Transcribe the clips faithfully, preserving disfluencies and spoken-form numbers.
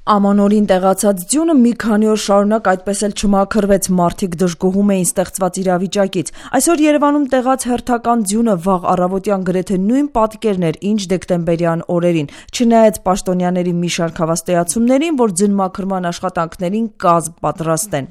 Ամանորին տեղացած ձյունը մի քանի օր շարունակ այդպես էլ չմաքրվեց, մարդիկ դժգոհում էին ստեղծված իրավիճակից։ Այսօր Երևանում տեղած հերթական ձյունը վաղ առավոտյան գրեթե նույն պատկերն էր, ինչ դեկտեմբերյան օրերին, չնայած պաշտոնյաների մի շարք հավաստիացումներին, որ ձնմաքրման աշխատանքներին կազմ պատրաստեն։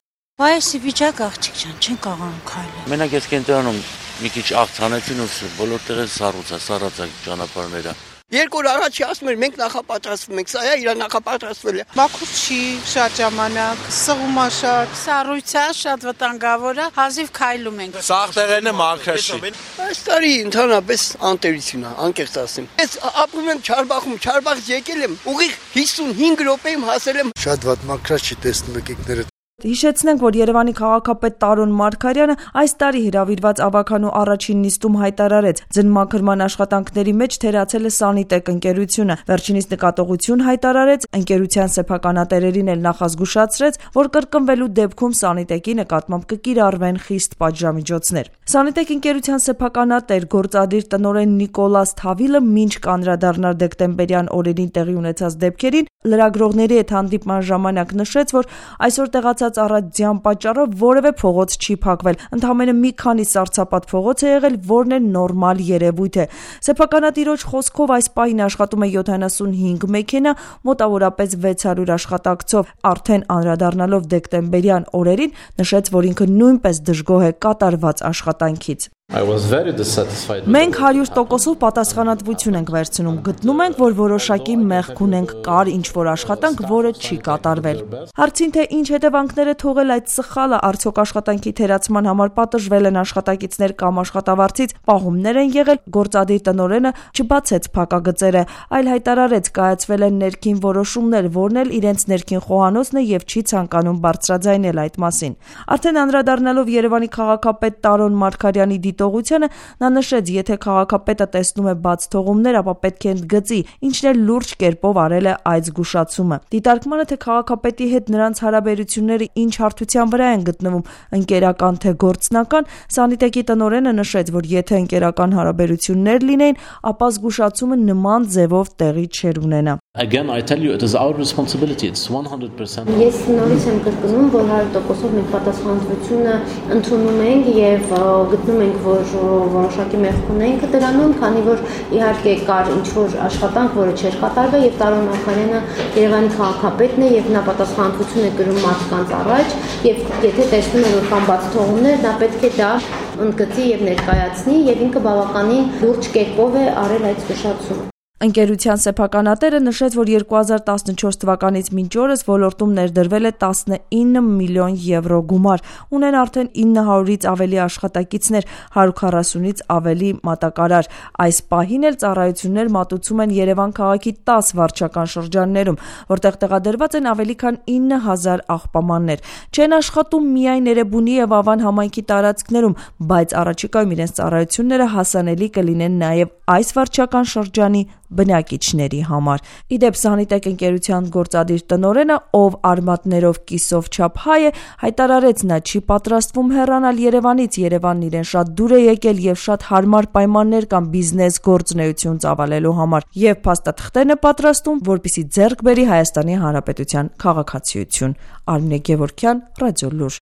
Այս վիճակ աղջիկ ջան, չեն կարողանում քայլել։ Մենակ ես կենտրոնում մի քիչ աղցանեցին ու բոլոր տեղը սառուցա, սառացա ճանապարհները։ Երկու օր առաջ ասում էր մենք նախապատրաստվում ենք, սա է իր նախապատրաստվել է։ Մաքուր չի շատ ժամանակ, սղում է շատ, սառույցա շատ վտանգավոր է, հազիվ քայլում ենք։ Սաղ տեղերն է մաքրը չի։ Այս տարի ընդհանրապես անտերություն է, անկեղծ ասեմ։ Ես ապրում եմ Չարբախում, Չարբախից եկել եմ, ուղիղ հիսունհինգ րոպեում հասել եմ։ Շատ վատ մաքրած չի տեսնում եք ինքներդ։ Հիշեցնենք, որ Երևանի քաղաքապետ Տարոն Մարգարյանը այս տարի հրավիրված ավականու առաջին նիստում հայտարարեց, ձնմաքրման աշխատանքների մեջ թերացել է Սանիտեկ ընկերությունը։ Վերջինիս նկատողություն հայտարարեց, ընկերության սեփականատերերին էլ նախազգուշացրեց, որ կրկնվելու դեպքում Սանիտեկի նկատմամբ կկիրառվեն խիստ պատժամիջոցներ։ Սանիտեկ ընկերության սեփականատեր գործադիր տնօրեն Նիկոլաս Թավիլը մինչ կանդրադառնար դեկտեմբերյան օրերին տեղի ունեցած դեպքերին, լրագրողների հետ հանդիպման ժամանակ նշեց, որ այսօր տեղացած առածյան պատճառով որևէ փողոց չի փակվել, ընդամենը մի քանի սառցապատ փողոց է եղել, որն է նորմալ երևույթ է։ Սեփականատիրոջ խոսքով այս պահին աշխատում է յոթանասունհինգ մեքենա, մոտավորապես վեց հարյուր աշխատակցով։ Արդեն անդրադառնալով դեկտեմբերյան օրերին, նշեց, որ ինքը նույնպես դժգոհ է կատարված աշխատանքից։ Մենք հարյուր տոկոսով պատասխանատվություն ենք վերցնում, գտնում ենք, որ որոշակի մեղք ունենք, կար ինչ-որ աշխատանք, որը չի կատարվել։ Հարցին, թե ինչ հետևանքներ է թողել այդ սխալը, արդյոք աշխատանքի թերացման համար պատժվել են աշխատակիցներ կամ աշխատավարձից պահումներ են եղել, գործադիր տնօրենը չբացեց փակագծերը, այլ հայտարարեց, կայացվել են ներքին որոշումներ, որն էլ իրենց ներքին խոհանոցն է եւ չի ցանկանում բարձրաձայնել այդ մասին։ Արդեն անդրադառնալով Երևանի քաղաքապետ Տարոն Մարգարյանի դիտողությանը, նա նշեց, եթե քաղաքապետը տեսնում է բաց թողումներ, ապա պետք է ընդգծի, ինչն էլ լուրջ կերպով արել է այդ զգուշացումը։ Դիտարկմանը, թե քաղաքապետի հետ նրանց հարաբերությունները ինչ հարթության վրա են գտնվում, ընկերական թե գործնական, Սանիտեկի տնօրենը նշեց, որ եթե ընկերական հարաբերություններ լինեին, ապա զգուշացումը նման ձևով տեղի չէր ունենա։ Again, I tell you, it is our responsibility. It's one hundred percent. Ես նորից եմ կրկնում, որ հարյուր տոկոսով մենք պատասխանատվությունը ընդունում ենք եւ գտնում ենք, որ որոշակի մեղք ունենք դրանում, քանի որ իհարկե կար ինչ-որ աշխատանք, որը չէր կատարվել եւ Տարոն Մարգարյանը Երևանի քաղաքապետն է եւ նա պատասխանատվություն է կրում մարդկանց առաջ եւ եթե տեսնում է, որ կան բաց թողումներ, նա պետք է դա ընդգծի եւ ներկայացնի եւ ինքը բավականին լուրջ կերպով է արել այդ զգուշացումը։ Ընկերության սեփականատերը նշեց, որ երկու հազար տասնչորս թվականից մինչ օրս ոլորտում ներդրվել է տասնինը միլիոն եվրո գումար, ունեն արդեն ինը հարյուրից ավելի աշխատակիցներ, հարյուր քառասունից ավելի մատակարար։ Այս պահին էլ ծառայություններ մատուցում են Երևան քաղաքի տաս վարչական շրջաններում, որտեղ տեղադրված են ավելի քան ինը հազար աղբամաններ։ Չեն աշխատում միայն Էրեբունի եւ Ավան համայնքի տարածքներում, բայց առաջիկայում իրենց ծառայությունները հասանելի կլինեն նաեւ այս վարչական շրջանի բնակիչների համար։ Իդեպ Սանիտեկ ընկերության գործադիր տնօրենը, ով արմատներով կիսով չափ հայ է, հայտարարեց, նա չի պատրաստվում հեռանալ Երևանից, Երևանն իրեն շատ դուր է եկել եւ շատ հարմար պայմաններ կան բիզնես գործունեություն ծավալելու համար եւ փաստաթղթերն է պատրաստում, որպեսզի ձեռք բերի Հայաստանի Հանրապետության քաղաքացիություն։ Արմինե Գևորգյան, Ռադիոլուր։